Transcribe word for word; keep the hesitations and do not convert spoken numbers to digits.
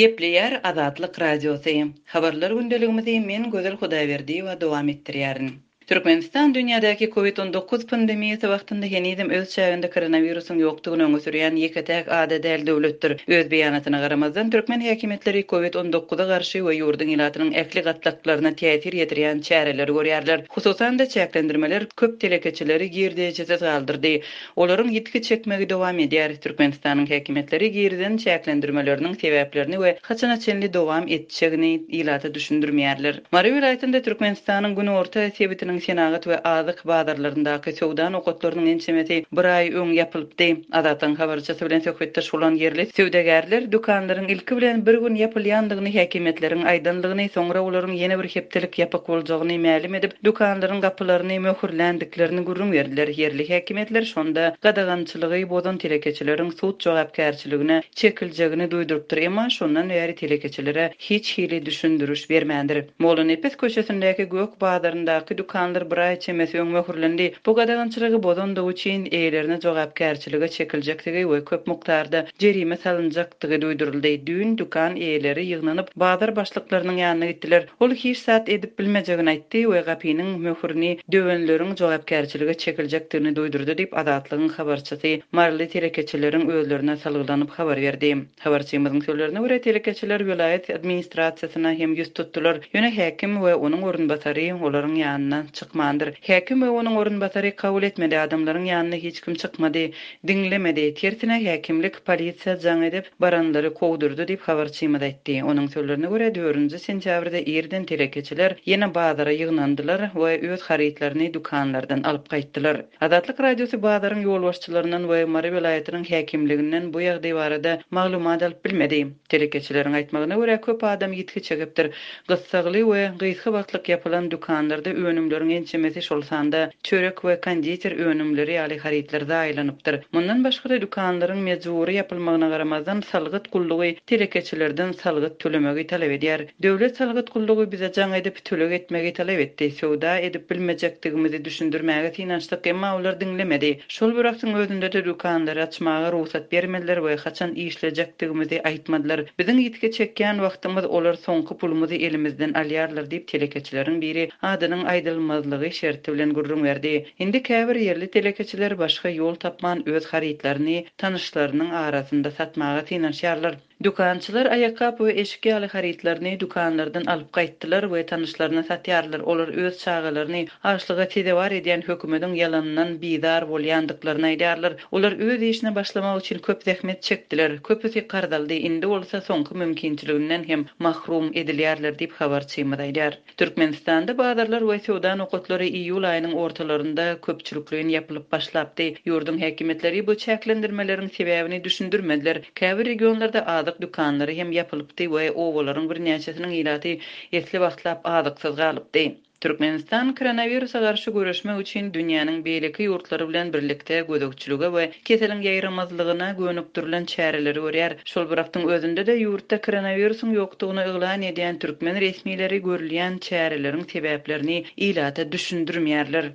Gepleýär Azatlyk Radiosy. Habarlar gündeligimizi men Gözel Hudaýberdiýewa dowam etdirýärin. Türkmenistan dünýädäki COVID on dokuz pandemiýasy wagtynda henizem öz çäginde koronawirusyň ýokdugyny öňe sürýän ýeke-täk ada däl döwletdir. Öz beýanatyna garamazdan türkmen häkimiýetleri COVID on dokuza garşy we ýurduň ilatynyň ähli gatlaklaryna täsir ýetirýän çäreleri görýärler. Hususan-da çäklendirmeler köp telekeçileri girdejesiz galdyrdy. Olaryň ýitgi çekmegi dowam edýär. Türkmenistanyň häkimiýetleri girizen çäklendirmeleriniň sebäplerini we haçana çenli dowam etjegini ilata düşündirmeýärler. Mary welaýatynda Türkmenistanyň günorta sebitiniň senagat we azyk bazarlaryndaky söwda nokatlarynyň ençemesi bir aý öň ýapylypdy. Azatlygyň habarçysy bilen söhbetdeş bolan ýerli söwdagärler dükanlaryň ilki bilen bir gün ýapylýandygyny häkimiýetleriň aýdanlygyny, soňra olaryň ýene bir hepdelik ýapyk boljagyny mälim edip, dükanlaryň gapylaryny möhürländiklerini gürrüň berdiler. Ýerli häkimiýetler şonda gadagançylygy bozan telekeçileriň sud jogapkärçiligine çekiljegini duýdurypdyr, emma şondan bäri telekeçilere hiç hili düşündiriş bermändir. Mollanepes köçesindäki Gök bazaryndaky dükanlar bir aý çemesi öň möhürlendi. Bu gadagançylygy bozandygy üçin eýelerine jogapkärçilige çekiljekdigi we köp mukdarda jerime salynjakdygy duýduryldy. Düýn dükan eýeleri ýygnanyp bazar başlyklarynyň ýanyna gitdiler. Ol hiç zat edip bilmejegini aýtdy we gapynyň möhürini döwenleriň jogapkärçilige çekiljekdigini duýdurdy diýip Azatlygyň habarçysy Maryly telekeçileriň özlerine salgylanyp habar berdi. Habarçymyzyň sözlerine görä telekeçiler welaýat administrasiýasyna hem ýüz tutdular. Ýöne häkim we onuň orunbasary olaryň ýanyna çykmandyr. Häkim we onuň orunbasary kabul etmedi, adamlaryň ýanyna hiç kim çykmady, diňlemedi. Tersine häkimlik polisiýa jaň edip baranlary kowdurdy diýip habarçymyz aýtdy. Onuň sözlerine görä dördünji sentýabrda irden telekeçiler ýene bazara ýygnandylar we öz harytlaryny dükanlardan alyp gaýtdylar. Azatlyk Radiosy bazaryň ýolbaşçylaryndan we Mary welaýatynyň häkimliginden bu ýagdaý barada maglumat alyp bilmedi. Telekeçileriň aýtmagyna görä köp adam ýitgi çekipdir. Gyssagly we gysga wagtlyk ýapylan dükanlarda önümleriň ençemesi şol sanda çörek we konditer önümleri ýaly harytlar zaýalanypdyr. Mundan başga-da dükanlaryň mejbury ýapylmagyna garamazdan salgyt gullugy telekeçilerden salgyt tölemegi talap edýär. Döwlet salgyt gullugy bize jaň edip töleg etmegi talap etdi. Söwda edip bilmejekdigimizi düşündirmäge synanyşdyk, emma olar diňlemedi. Şol bir wagtyň özünde-de dükanlary açmaga rugsat bermediler we haçan işlejekdigimizi aýtmadylar. Biziň ýitgi çekýän wagtymyz olar soňky pulumyzy elimizden alýarlar diýip telekeçileriň biri adynyň aýdylmazlygy şerti bilen gürrüň berdi. Indi käbir ýerli telekeçiler başga ýol tapman öz harytlaryny tanyşlarynyň arasynda satmaga synanyşýarlar. Dükançylar aýakgap we eşik ýaly harytlaryny dükanlardan alyp gaýtdylar we tanyşlaryna satýarlar. Olar öz çagalaryny açlyga sezewar edýän hökümetiň ýalanyndan bizar bolýandyklaryny aýdýarlar. Olar öz işine başlamak üçin köp zähmet çekdiler. Köpüsi karz aldy. Indi bolsa soňky mümkinçiliginden hem mahrum edilýärler diýip habarçymyz aýdýar. Türkmenistanda bazarlar we söwda nokatlary iýul aýynyň ortalarynda köpçülikleýin ýapylyp başlapdy. Ýurduň häkimiýetleri bu çäklendirmeleriň sebäbini düşündirmediler. Käbir regionlarda azyk dükanlary hem ýapylypdy we obalaryň birnäçesiniň ilaty esli wagtlap azyksyz galypdy. Türkmenistan koronawirusa garşy göreşmek üçin dünýäniň beýleki ýurtlary bilen birlikde gözegçilige we keseliň ýaýramazlygyna gönükdirilen çäreleri görýär. Şol bir wagtyň özünde-de ýurtda koronawirusyň ýokdugyny yglan edýän türkmen resmileri görülýän çäreleriň sebäplerini ilata düşündirmeýärler.